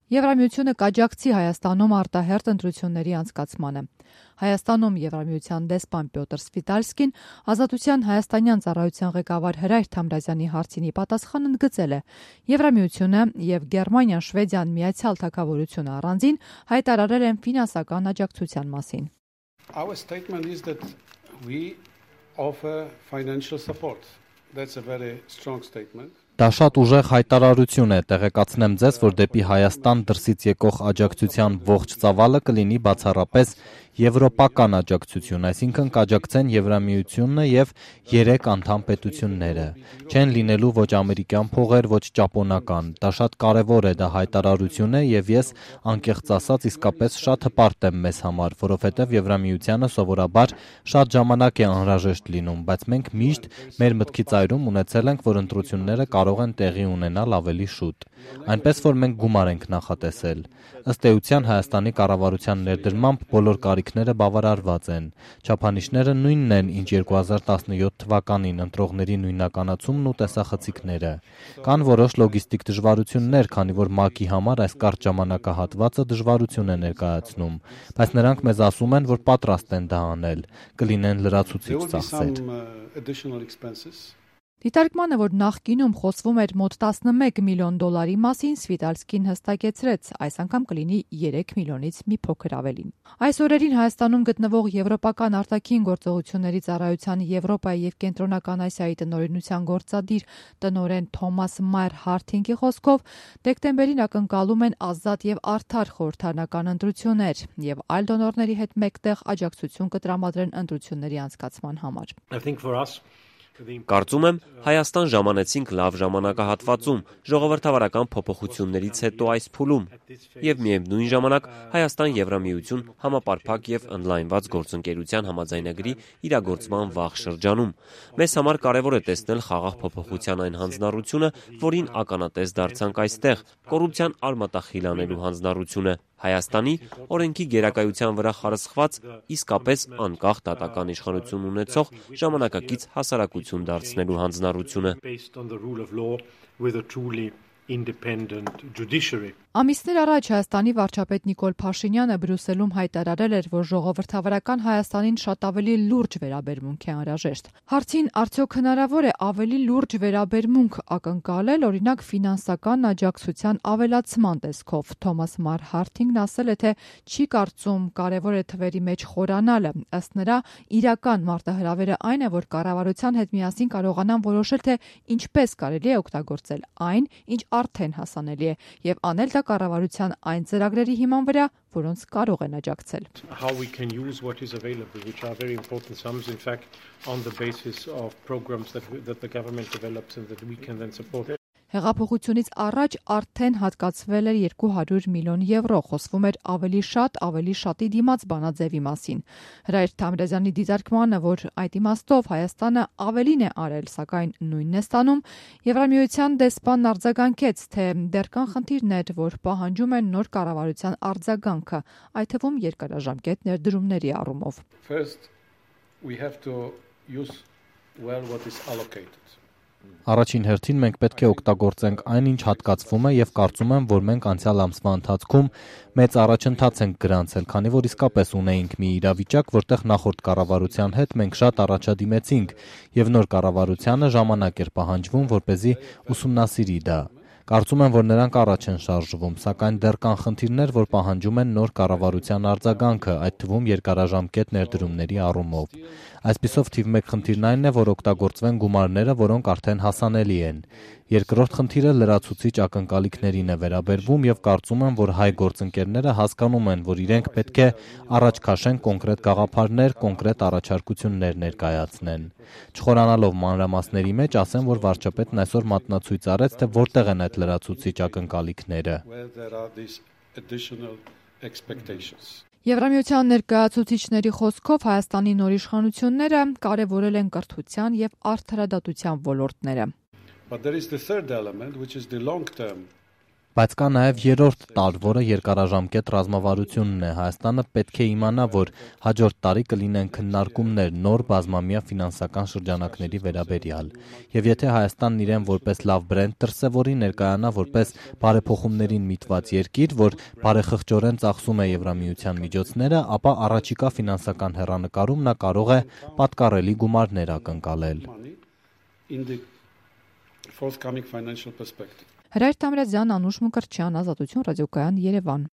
Եվրամիությունը կաջակցի Հայաստանում արտահերթ ընտրությունների անցկացմանը։ Հայաստանում Եվրամիության դեսպան Պյոտր Սվիտալսկին Ազատության հայաստանյան ծառայության ղեկավար Հրայր Թամրազյանի հարցինի պատասխան ընդգծել է. Եվրամիությունը եւ Գերմանիան, Շվեդիան, Միացյալ Թագավորությունը առանձին հայտարարել են ֆինանսական աջակցության մասին։ Our statement is that we offer financial support. That's a very strong statement. Դա շատ ուժեղ հայտարարություն է, տեղեկացնեմ ձեզ, որ դեպի Հայաստան դրսից եկող աջակցության ողջ ծավալը կլինի բացառապես եվրոպական աջակցություն, այսինքն կաջակցեն Եվրամիությունն եւ 3 անդամ պետությունները։ Չեն լինելու ոչ ամերիկյան փողեր, ոչ ճապոնական։ Դա շատ կարեւոր է, դա հայտարարություն է եւ ես անկեղծ ասած իսկապես շատ հպարտ եմ մեզ համար, որովհետեւ Եվրամիությանը սովորաբար շատ ժամանակ է անհրաժեշտ լինում, բայց մենք միշտ մեր մտքի ծայրում ունեցել ենք, որ ընտրությունները կարող են տեղի ունենալ ավելի շուտ։ Այնպես որ մենք գումար ենք նախատեսել։ Ըստ էության Հայաստանի կառավարության ներդրմամբ բոլոր կարիքները բավարարված են։ Չափանիշները նույնն են, ինչ 2017 թվականին ընտրողների նույնականացումն ու տեսախցիկները։ Կան որոշ լոգիստիկ դժվարություններ, քանի որ ՄԱԿ-ի համար այս կարճ ժամանակահատվածը դժվարություն է ներկայացնում, բայց նրանք մեզ ասում են, որ պատրաստ են դա անել, կլինեն լրացուցիչ ծախսեր։ Դիտարկմանը, որ նախկինում խոսվում էր մոտ 11 միլիոն դոլարի մասին, Սվիտալսկին հստակեցրեց, այս անգամ կլինի 3 միլիոնից մի փոքր ավելին։ Այս օրերին Հայաստանում գտնվող Եվրոպական արտաքին գործողությունների ծառայության Եվրոպայի եւ Կենտրոնական Ասիայի տնօրինության գործադիր տնօրեն Թոմաս Մայր Հարթինգի խոսքով դեկտեմբերին ակնկալում են ազատ եւ արդար խորհրդարանական ընտրություններ եւ այլ դոնորների հետ մեկտեղ աջակցություն կտրամադրեն ընտրությունների անցկացման համար։ Կարծում եմ, Հայաստան ժամանեցինք լավ ժամանակահատվածում, ժողովրդավարական փոփոխություններից հետո այս փուլում, եւ միևնույն ժամանակ Հայաստան Եվրամիություն համապարփակ եւ ընդլայնված գործընկերության համաձայնագրի իրագործման վաղ շրջանում։ Մեզ համար կարեւոր է տեսնել խաղաղ փոփոխության այն հանձնառությունը, որին ականատես դարձանք այստեղ, կոռուպցիան արմատախիլ անելու հանձնառությունը։ Հայաստանի օրենքի գերակայության վրա խարսխված իսկապես անկախ դատական իշխանություն ունեցող ժամանակակից հասարակություն դարձնելու հանձնառությունը։ Ամիսներ առաջ Հայաստանի վարչապետ Նիկոլ Փաշինյանը Բրյուսելում հայտարարել էր, որ ժողովրդավարական Հայաստանին շատ ավելի լուրջ վերաբերմունք է անհրաժեշտ։ Հարցին արդյոք հնարավոր է ավելի լուրջ վերաբերմունք ակնկալել, օրինակ ֆինանսական աջակցության ավելացման տեսքով, Թոմաս Մայր Հարթինգն ասել է, թե չի կարծում կարևոր է թվերի մեջ խորանալը։ Ըստ նրա, իրական մարտահրավերը այն է, որ կառավարության հետ միասին կարողանան որոշել, թե ինչպես կարելի է օգտագործել այն, ինչ արդեն հասանելի է, եւ անել դա կառավարության այն ծրագրերի հիման վրա, որոնց կարող են աջակցել։ How we can use what is available, which are very important sums, in fact, on the basis of programs that the government develops and that we can then support. Հեղափոխությունից առաջ արդեն հատկացվել էր 200 միլիոն եվրո, խոսվում էր ավելի շատի դիմաց բանաձևի մասին։ Հրայր Թամրազյանի դիտարկմանը, որ այդ իմաստով Հայաստանը ավելին է արել, սակայն նույնն է ստանում, Եվրամիության դեսպանն արձագանքեց, թե դեռ կան խնդիրներ, որ պահանջում են նոր կառավարության արձագանքը, այդ թվում երկարաժամկետ ներդրումների առումով։ First, we have to use well what is allocated. Առաջին հերթին մենք պետք է օգտագործենք այն, ինչ հատկացվում է եւ կարծում եմ, որ մենք անցյալ ամսվա ընթացքում մեծ առաջընթաց ենք գրանցել, քանի որ իսկապես ունեինք մի իրավիճակ, որտեղ նախորդ կառավարության հետ մենք շատ առաջադիմեցինք եւ նոր կառավարությանը ժամանակ էր պահանջվում, որպեսզի ուսումնասիրի դա։ Կարծում եմ, որ նրանք առաջ են շարժվում, սակայն դեռ կան խնդիրներ, որ պահանջում են նոր կառավարության արձագանքը, այդ թվում երկարաժամկետ ներդրումների առումով։ Այսպիսով թիվ 1 խնդիրն այն է, որ օգտագործվեն գումարները, որոնք արդեն հասանելի են։ Երկրորդ խնդիրը լրացուցիչ ակնկալիքներին է վերաբերվում եւ կարծում եմ, որ հայ գործընկերները հասկանում են, որ իրենք պետք է առաջ քաշեն կոնկրետ գաղափարներ, կոնկրետ առաջարկություններ ներկայացնեն։ Չխորանալով մանրամասների մեջ, ասեմ, որ վարչապետն այսօր մատնացույց արեց, թե որտեղ են այդ լրացուցիչ ակնկալիքները։ Եվրամիության ներկայացուցիչների խոսքով Հայաստանի նոր իշխանությունները կարևորել են կրթության եւ արդարադատության ոլորտները։ But there is the third element, which is the long term. Բայց կա նաև երրորդ տարր, որը երկարաժամկետ ռազմավարությունն է։ Հայաստանը պետք է իմանա, որ հաջորդ տարի կլինեն քննարկումներ նոր բազմամյա ֆինանսական շրջանակների վերաբերյալ։ Եվ եթե Հայաստանն իրեն որպես լավ բրենդ դրսևորի, ներկայանա որպես բարեփոխումներին միտված երկիր, որ բարեխղճորեն ծախսում է Եվրամիության միջոցները, ապա առաջիկա ֆինանսական հեռանկարում նա կարող է պատկառելի գումարներ ակնկալել։ Հրայր Թամրազյան, Անուշ Մկրտչյան, Ազատություն ռադիոկայան, Երևան։